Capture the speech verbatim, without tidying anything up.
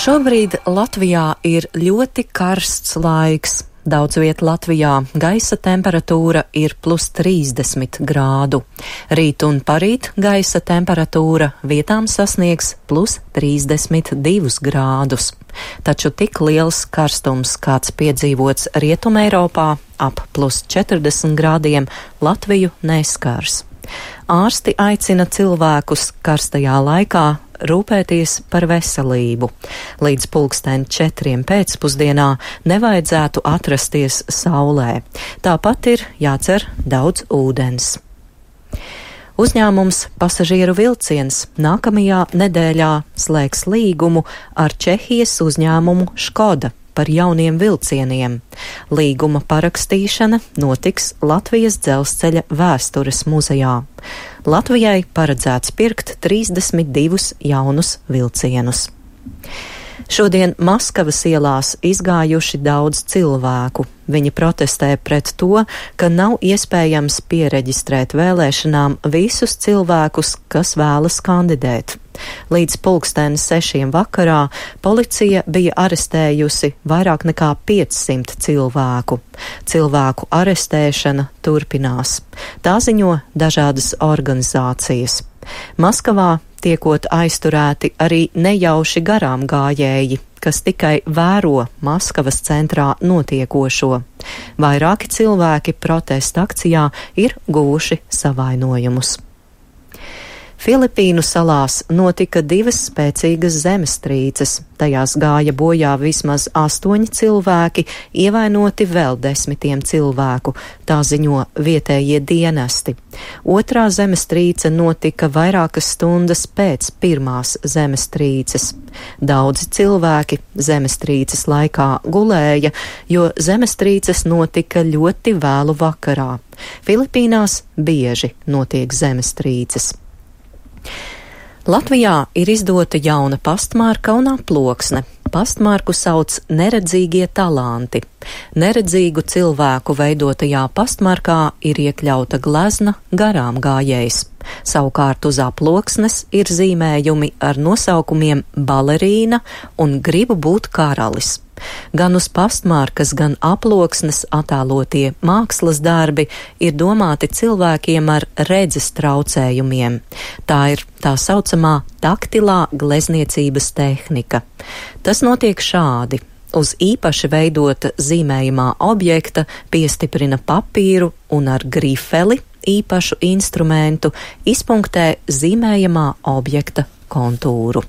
Šobrīd Latvijā ir ļoti karsts laiks. Daudz viet Latvijā gaisa temperatūra ir plus trīsdesmit grādu. Rīt un parīt gaisa temperatūra vietām sasniegs plus trīsdesmit divus grādus. Taču tik liels karstums, kāds piedzīvots Rietumē Eiropā, ap plus četrdesmit grādiem, Latviju neskars. Ārsti aicina cilvēkus karstajā laikā rūpēties par veselību. Līdz pulksten četriem pēcpusdienā nevajadzētu atrasties saulē. Tāpat ir jādzer daudz ūdens. Uzņēmums Pasažieru vilciens nākamajā nedēļā slēgs līgumu ar Čehijas uzņēmumu Škoda par jauniem vilcieniem. Līguma parakstīšana notiks Latvijas dzelzceļa vēstures muzejā. Latvijai paredzēts pirkt trīsdesmit divus jaunus vilcienus. Šodien Maskavas ielās izgājuši daudz cilvēku. Viņi protestē pret to, ka nav iespējams piereģistrēt vēlēšanām visus cilvēkus, kas vēlas kandidēt. Līdz pulksten sešiem vakarā policija bija arestējusi vairāk nekā piecsimt cilvēku. Cilvēku arestēšana turpinās. Tā ziņo dažādas organizācijas. Maskavā tiekot aizturēti arī nejauši garām gājēji, kas tikai vēro Maskavas centrā notiekošo. Vairāki cilvēki protesta akcijā ir guvuši savainojumus. Filipīnu salās notika divas spēcīgas zemestrīces. Tajās gāja bojā vismaz astoņi cilvēki, ievainoti vēl desmitiem cilvēku, tā ziņo vietējie dienesti. Otrā zemestrīce notika vairākas stundas pēc pirmās zemestrīces. Daudzi cilvēki zemestrīces laikā gulēja, jo zemestrīces notika ļoti vēlu vakarā. Filipīnās bieži notiek zemestrīces. Latvijā ir izdota jauna pastmarka un aploksne. Pastmarku sauc neredzīgie talanti. Neredzīgu cilvēku veidotajā pastmarkā ir iekļauta glezna garām gājējs. Savukārt uz aploksnes ir zīmējumi ar nosaukumiem balerīna un gribu būt karalis. Gan uz pastmarkas, gan aploksnes attēlotie mākslas darbi ir domāti cilvēkiem ar redzes traucējumiem. Tā ir tā saucamā taktilā glezniecības tehnika. Tas notiek šādi. Uz īpaši veidota zīmējumā objekta piestiprina papīru un ar grifeli, īpašu instrumentu, izpunktē zīmējamā objekta kontūru.